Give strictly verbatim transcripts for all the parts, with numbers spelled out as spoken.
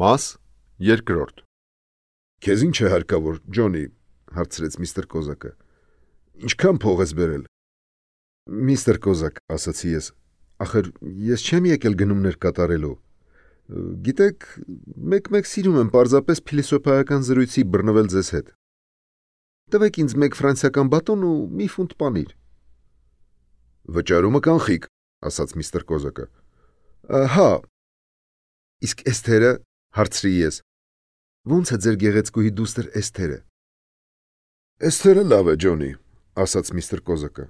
Մաս երկրորդ։ Քեզ ինչ է հարկավոր, Ջոնի, հարցրեց միստր Կոզակը։ Ինչքան փող ես բերել։ Միստր Կոզակ, ասացի ես, ախր ես չեմ եկել գնումներ կատարելու։ Գիտեք, մեկ-մեկ սիրում եմ պարզապես փիլիսոփայական զրույցի բռնվել ձեզ հետ։ Տվեք ինձ մեկ ֆրանսիական բատոն ու մի ֆունտ պանիր։ Վճարումը կանխիկ, ասաց միստր Կոզակը։ Հա։ Իսկ Էսթերը, հարցրի ես։ Ո՞նց է ձեր գեղեցկուհի դուստր Էսթերը։ Էսթերը լավ է, Ջոնի, ասաց միստր Կոզակը,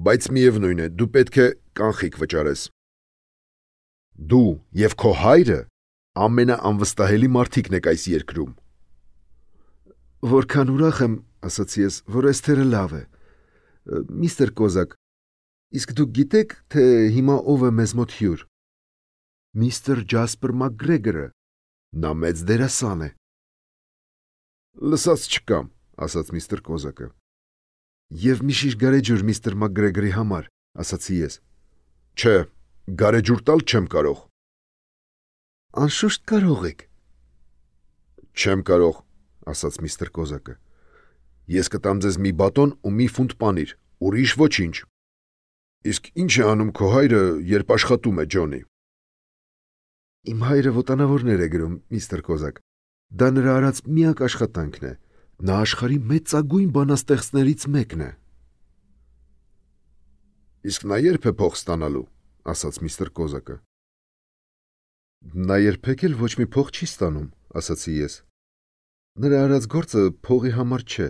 բայց միևնույն է, դու պետք է կանխիկ վճարես։ Դու եւ քո հայրը ամենաանվստահելի մարդիկն եք այս երկրում։ Որքան ուրախ եմ, ասացի ես, որ Էսթերը լավ է։ Միստր Կոզակ, իսկ դուք գիտեք, թե հիմա ով է մեզ մոտ հյուր։ Միստր Ջասպեր Մակգրեգորը, նա մեծ դերասան է։ Լսած չկամ, ասաց միստր Կոզակը։ Եվ մի շիշ գարեջուր միստր Մակգրեգորի համար, ասացի ես։ Չէ, գարեջուր տալ չեմ կարող։ Անշուշտ կարող եք։ Չեմ կարող, ասաց միստր Կոզակը։ Ես կտամ ձեզ մի բատոն ու մի ֆունտ պանիր, ուրիշ ոչինչ։ Իսկ ինչ է անում քո հայրը, երբ աշխատում է, Ջոնի։ Իմ հայրը ոտանավորներ է գրում, միստր Կոզակ։ Դա նրա արած միակ աշխատանքն է։ Նա աշխարհի մեծագույն բանաստեղծներից մեկն է։ Իսկ նա երբ է փող ստանալու, ասաց միստր Կոզակը։ Նա երբեք էլ ոչ մի փող չի ստանում, ասացի ես։ Նրա արած գործը փողի համար չէ։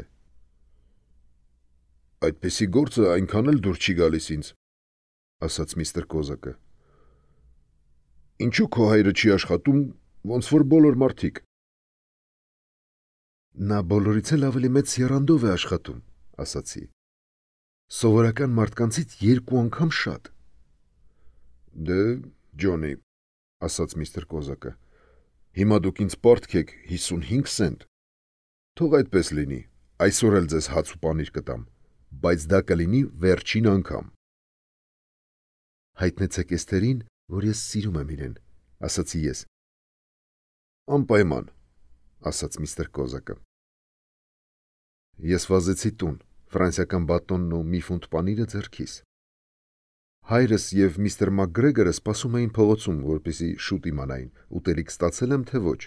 Այդպիսի գործը այնքան էլ դուր չի գալիս ինձ, ասաց միստր Կոզակը։ Ինչու քո հայրը չի աշխատում, ոնց որ բոլոր մարդիկ։ Նա բոլորից էլ ավելի մեծ եռանդով է աշխատում, ասացի։ Սովորական մարդկանցից երկու անգամ շատ։ Դե, Ջոնի, ասաց միստր Կոզակը, հիմա դուք ինձ պարտք եք հիսունհինգ սենտ։ Թող այդպես լինի, այսօր էլ ձեզ հաց ու պանիր կտամ, բայց դա կլինի վերջին անգամ։ Հայտնեցեք Էսթերին, որ ես սիրում եմ իրեն, ասացի ես։ Անպայման, ասաց միստր Կոզակը։ Ես վազեցի տուն, ֆրանսիական բատոնն ու մի ֆունտ պանիրը ձեռքիս։ Հայրս եւ միստր Մակգրեգորը սպասում էին փողոցում, որպեսզի շուտ իմանային, ուտելիք ստացել եմ թե ոչ։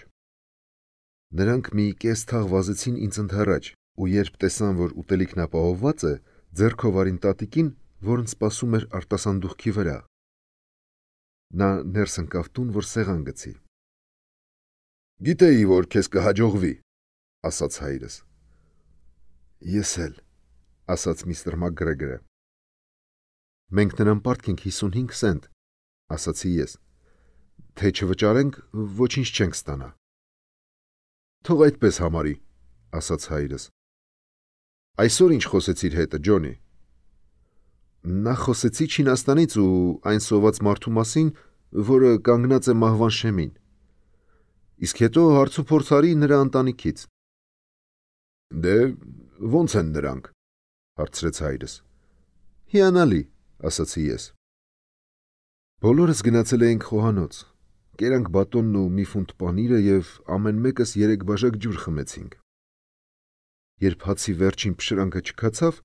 Նրանք մի կես թաղ վազեցին ինձ ընդառաջ, ու երբ տեսան, որ ուտելիքն ապահովված է, ձեռքով արին տատիկին, որն սպասում էր արտասանդուղքի վրա։ Նա ներս ընկավ տուն, որ սեղան գցի։ Գիտեի, որ քեզ կհաջողվի, ասաց հայրս։ Ես էլ, ասաց միստր Մակգրեգորը։ Մենք նրան պարտք ենք հիսունհինգ սենտ, ասացի ես։ Թե չվճարենք, ոչինչ չենք ստանա։ Թող այդպես համարի, ասաց հայրս։ Այսօր ինչ խոսեցիր հետը, Ջոնի։ Նա խոսեցի Չինաստանից ու այն սոված մարդու մասին, որը կանգնած է մահվան շեմին։ Իսկ հետո հարց ու փորձ արի նրա ընտանիքից։ Դե, ո՞նց են նրանք, հարցրեց հայրս։ Հիանալի, ասացի ես։ Բոլորս գնացել էինք խոհանոց, կերանք բատոնն ու մի ֆունտ պանիրը և ամեն մեկս երեք բաժակ ջուր խմեցինք։ Երբ հացի վերջին փշրանքը չքացավ,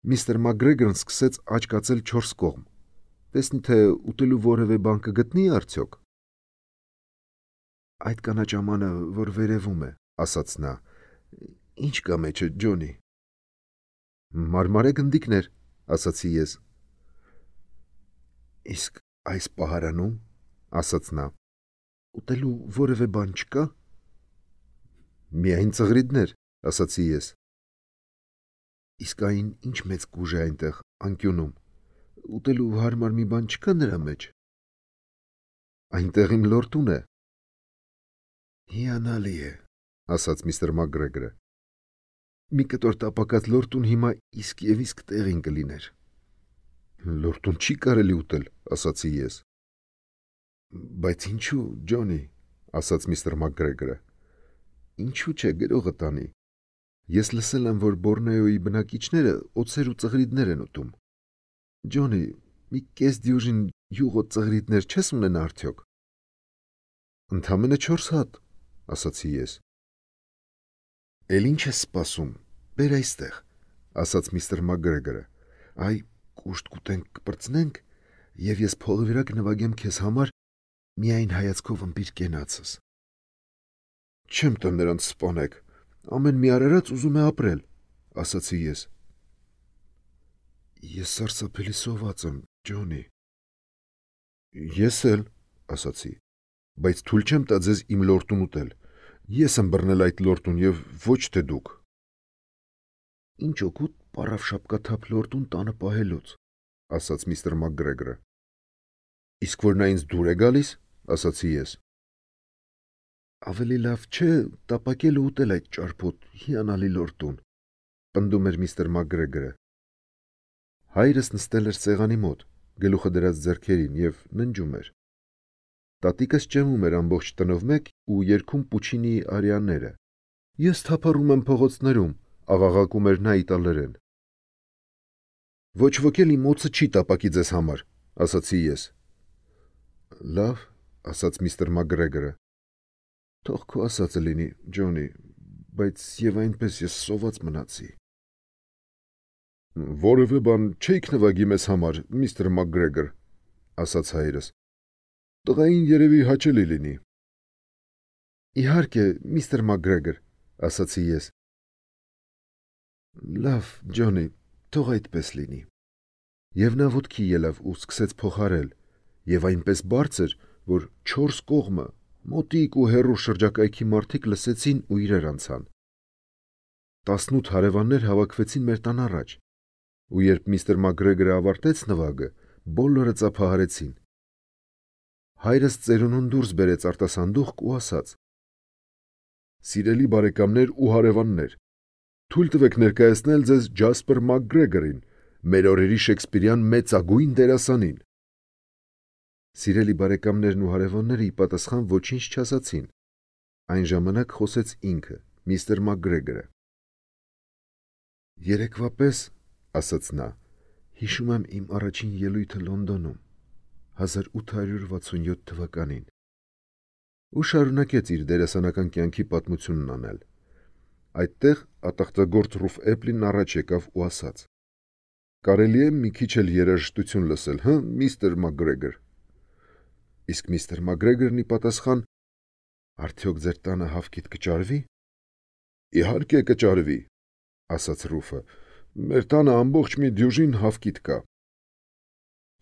միստր Մակգրեգորն սկսեց աջ կացել չորս կողմ, տեսնի թե ուտելու որևէ բան կգտնի արդյոք։ Այդ կանաչ ամանը, որ վերևում է, ասաց նա, ինչ կա մեջը, Ջոնի։ Մարմարե գնդիկներ, ասացի ես։ Իսկ այս պահարանում, ասաց նա, ուտելու որևէ բան չկա։ Միայն ծղրիդներ, ասացի ես։ Իսկ այն ինչ մեծ կուժ է այնտեղ, անկյունում, ուտելու հարմար մի բան չկա նրա մեջ։ Այնտեղ իմ լորտուն է։ Հիանալի է, ասաց միստր Մակգրեգորը։ Մի կտոր տապակած լորտուն հիմա իսկ և իսկ տեղին կլիներ։ Լորտուն չի կարելի ուտել, ասացի ես։ Բայց ինչու, Ջոնի, ասաց միստր Մակգրեգորը։ Ինչու չէ գրողը տանի։ Ես լսել եմ, որ Բորնեոյի բնակիչները օձեր ու ծղրիդներ են ուտում։ Ջոնի, մի կես դյուժին յուղոտ ծղրիդներ չես ունենա արդյոք։ Ընդամենը չորս հատ, ասացի ես։ Էլ ինչ ես սպասում, բեր այստեղ, ասաց միստր Մակգրեգորը, այ կուշտ կուտենք կպրծնենք, և ես փողի վրա կնվագեմ քեզ համար միայն հայացքով ըմբիր կենացս։ Չեմ տա նրանց սպանեք, ամեն մի արարած ուզում է ապրել, ասացի ես։ Ես սարսափելի սոված եմ, Ջոնի։ Ես էլ, ասացի, բայց թույլ չեմ տա ձեզ իմ լորտուն ուտել։ Ես եմ բռնել այդ լորտուն և ոչ թե դուք։ Ինչ օգուտ պառավ շապկաթափ լորտուն տանը պահելուց, ասաց միստր Մակգրեգորը։ Իսկ որ նա ինձ դուր է գալիս, ասացի ես։ Ավելի լավ չէ տապակել ու ուտել այդ ճարպոտ հիանալի լորտուն, պնդում էր միստր Մակգրեգորը։ Հայրս նստել էր սեղանի մոտ, գլուխը դրած ձեռքերին և ննջում էր։ Տատիկս ճեմում էր ամբողջ տնով մեկ ու երգում Պուչինիի արիաները։ Ես թափառում եմ փողոցներում, աղաղակում էր նա իտալերեն։ Ոչ ոք էլ իմ օձը չի տապակի ձեզ համար, ասացի ես։ Լավ, ասաց միստր Մակգրեգորը։ Թող քո ասածը լինի, Ջոնի, բայց եւ այնպես ես սոված մնացի։ Որևէ բան չէիք նվագի մեզ համար, միստր Մակգրեգոր, ասաց հայրս։ Տղային երևի հաճելի լինի։ Իհարկե, միստր Մակգրեգոր, ասացի ես։ Լավ, Ջոնի, թող այդպես լինի։ Եվ նա ոտքի ելավ ու սկսեց փոխարել, եւ այնպես բարձր, որ չորս կողմը, մոտիկ ու հեռու շրջակայքի մարդիկ լսեցին ու իրար անցան։ Տասնութ հարևաններ հավաքվեցին մեր տան առաջ, ու երբ միստր Մակգրեգորը ավարտեց նվագը, բոլորը ծափահարեցին։ Հայրս ծերունուն դուրս բերեց արտասանդուղք ու ասաց. Սիրելի բարեկամներ ու հարևաններ, թույլ տվեք ներկայացնել ձեզ Ջասպեր Մակգրեգորին, մեր օրերի Շեքսպիրյան մեծագույն դերասանին։ Սիրելի բարեկամներն ու հարևանները ի պատասխան ոչինչ չասացին։ Այն ժամանակ խոսեց ինքը, միստր Մակգրեգորը։ Երեկվա պես, ասաց նա, հիշում եմ իմ առաջին ելույթը Լոնդոնում, հազար ութ հարյուր վաթսունյոթ թվականին։ Ու շարունակեց իր դերասանական կյանքի պատմությունն անել։ Այդտեղ ատաղտագործ Ռուֆ Էպլին առաջ եկավ ու ասաց. Կարելի է մի քիչ էլ երաժշտություն լսել, հը, միստր Մակգրեգոր։ Իսկ միստր Մակգրեգորն ի պատասխան. Արդյոք ձեր տանը հավքիթ կճարվի։ Իհարկե կճարվի, ասաց Ռուֆը։ Մեր տանը ամբողջ մի դյուժին հավքիթ կա։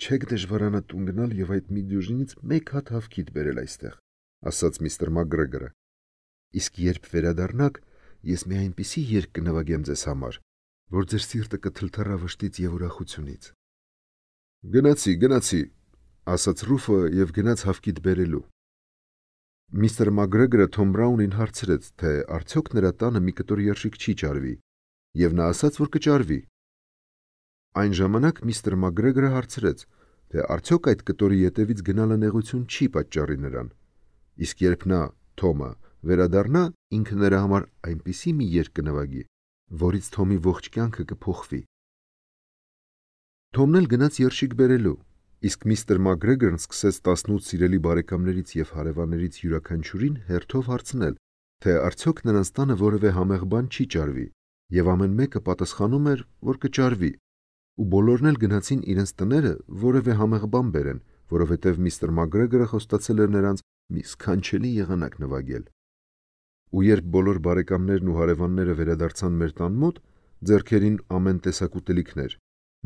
Չեք դժվարանա տուն գնալ եւ այդ մի դյուժինից մեկ հատ հավքիթ բերել այստեղ, ասաց միստր Մակգրեգորը։ Իսկ երբ վերադառնաք, ես մի այնպիսի երգ կնվագեմ ձեզ համար, որ ձեր սիրտը կթլթռա վշտից եւ ուրախությունից։ Գնացի, գնացի, ասաց Ռուֆը եւ գնաց հավքիթ բերելու։ Միստր Մակգրեգորը Թոմ Բրաունին հարցրեց, թե արդյոք նրա տանը մի կտոր երշիկ չի ճարվի, եւ նա ասաց, որ կճարվի։ Այն ժամանակ միստր Մակգրեգորը հարցրեց, թե արդյոք այդ կտորի ետևից գնալը նեղություն չի պատճառի նրան։ Իսկ երբ նա, Թոմը, վերադառնա, ինքը նրա համար այնպիսի մի երգ կնվագի, որից Թոմի ողջ կյանքը կփոխվի։ Թոմն էլ գնաց երշիկ բերելու, իսկ միստր Մակգրեգորն սկսեց տասնութ սիրելի բարեկամներից եւ հարևաններից յուրաքանչյուրին հերթով հարցնել, թե արդյոք նրանց տանը որևէ համեղ բան չի ճարվի, եւ ամեն մեկը պատասխանում էր, որ կճարվի, ու բոլորն էլ գնացին իրենց տները որևէ համեղ բան բերեն, որովհետեւ միստր Մակգրեգորը խոստացել էր նրանց մի սքանչելի եղանակ նվագել։ Ու երբ բոլոր բարեկամներն ու հարևանները վերադարձան մեր տան մոտ, ձեռքերին ամեն տեսակ ուտելիքներ,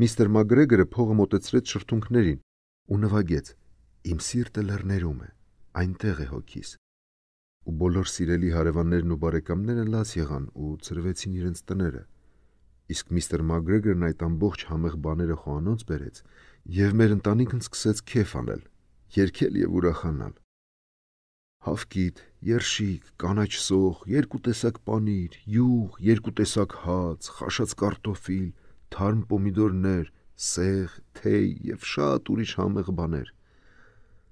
միստր Մակգրեգորը փողը մոտեցրեց շրթունքներին ու նվագեց. Իմ սիրտը լեռներում է, այնտեղ է հոգիս։ Ու բոլոր սիրելի հարևաններն ու բարեկամները լաց եղան ու ծրվեցին իրենց տները։ Իսկ միստր Մակգրեգորն այդ ամբողջ համեղ բաները խոհանոց բերեց եւ մեր ընտանիքն սկսեց քեֆ անել, երգել եւ ուրախանալ։ Հավքիթ, երշիկ, կանաչ սոխ, երկու տեսակ պանիր, յուղ, երկու տեսակ հաց, խաշած կարտոֆիլ, թարմ պոմիդորներ, սեղ, թեյ եւ շատ ուրիշ համեղ բաներ։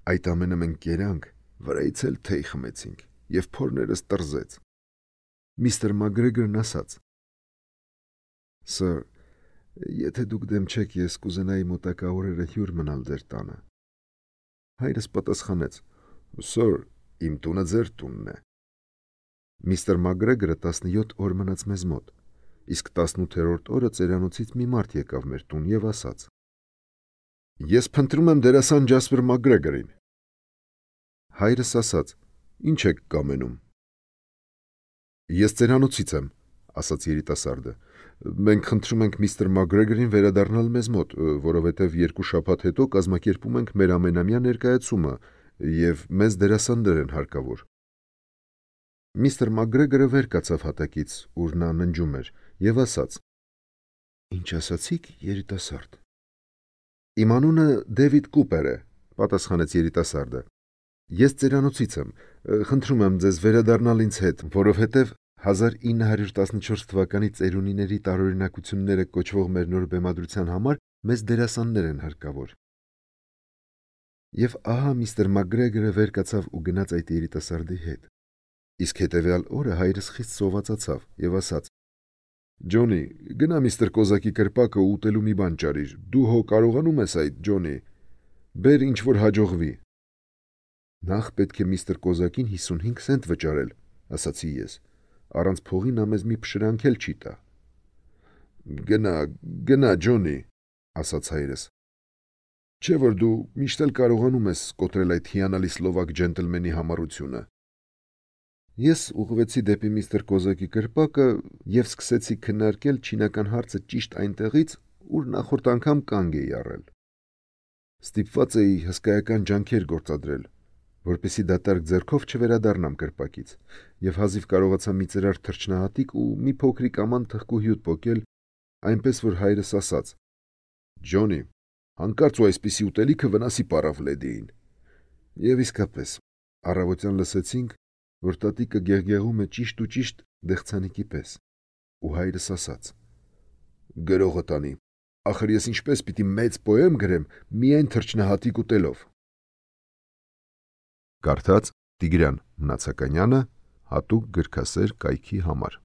Այդ ամենը մենք կերանք, վրայից էլ թեյ խմեցինք եւ փորներս տրզեց։ Միստր Մակգրեգորն ասաց. Սր, եթե դուք դեմ չեք, ես կուզենայի մոտակա օրերը հյուր մնալ ձեր տանը։ Հայրս պատասխանեց. Սր, Իմ տունը ձեր տունն է։ Միստր Մակգրեգորը տասնյոթ օր մնաց մեզ մոտ, իսկ տասնութերորդ օրը ծերանոցից մի մարդ եկավ մեր տուն եւ ասաց. Ես փնտրում եմ դերասան Ջասպեր Մակգրեգորին։ Հայրս ասաց. Ինչ եք կամենում։ Ես ծերանոցից եմ, ասաց երիտասարդը։ Մենք խնդրում ենք միստր Մակգրեգորին վերադառնալ մեզ մոտ, որովհետև երկու շաբաթ հետո կազմակերպում ենք մեր ամենամյա ներկայացումը եւ մեզ դերասաններ են հարկավոր։ Միստր Մակգրեգորը վեր կացավ հատակից, ուր նա ննջում էր, եւ ասաց. Ինչ ասացիք, երիտասարդ։ Իմ անունը Դեվիդ Կուպեր է, պատասխանեց երիտասարդը։ Ես ծերանոցից եմ, խնդրում եմ ձեզ վերադառնալ ինձ հետ, որովհետև հազար ինը հարյուր տասնչորս թվականի ծերունիների տարօրինակությունները կոչվող մեր նոր բեմադրության համար մեզ դերասաններ են հարկավոր։ Եվ ահա միստր Մակգրեգորը վեր կացավ ու գնաց այդ երիտասարդի հետ։ Իսկ հետևյալ օրը հայրս խիստ սովածացավ եւ ասաց. Ջոնի, գնա միստր Կոզակի կրպակը ու ուտելու մի բան ճարիր։ Դու հո կարողանում ես այդ, Ջոնի։ Բեր ինչ որ հաջողվի։ Նախ պետք է միստր Կոզակին հիսունհինգ սենտ վճարել, ասացի ես։ Առանց փողի նա մեզ մի փշրանք էլ չի տա։ Գնա, գնա, Ջոնի, ասաց հայրս։ Չէ՞ որ դու միշտ էլ կարողանում ես կոտրել այդ հիանալի սլովակ ջենտլմենի համառությունը։ Ես ուղղվեցի դեպի միստր Կոզակի կրպակը եւ սկսեցի քննարկել չինական հարցը ճիշտ այնտեղից, ուր նախորդ անգամ կանգ էի առել։ Ստիպված էի հսկայական ջանքեր գործադրել, որպեսզի դատարկ ձեռքով չվերադառնամ կրպակից, եւ հազիվ կարողացա մի ծրար թռչնահատիկ ու մի փոքրիկ աման թխկուհյուտ պոկել, այնպես որ հայրս ասաց. Ջոնի, հանկարծ ու այսպիսի ուտելիքը վնասի պարավ լեդիին։ Եվ իսկապես, առավոտյան լսեցինք, որ տատիկը գեղգեղում է ճիշտ ու ճիշտ դեղցանիկի պես, ու հայրս ասաց. Գրողը տանի, ախր ես ինչպես պիտի մեծ պոեմ գրեմ միայն թռչնահատիկ ուտելով։ Կարդաց Տիգրան Մնացականյանը, հատուկ գրքասեր կայքի համար։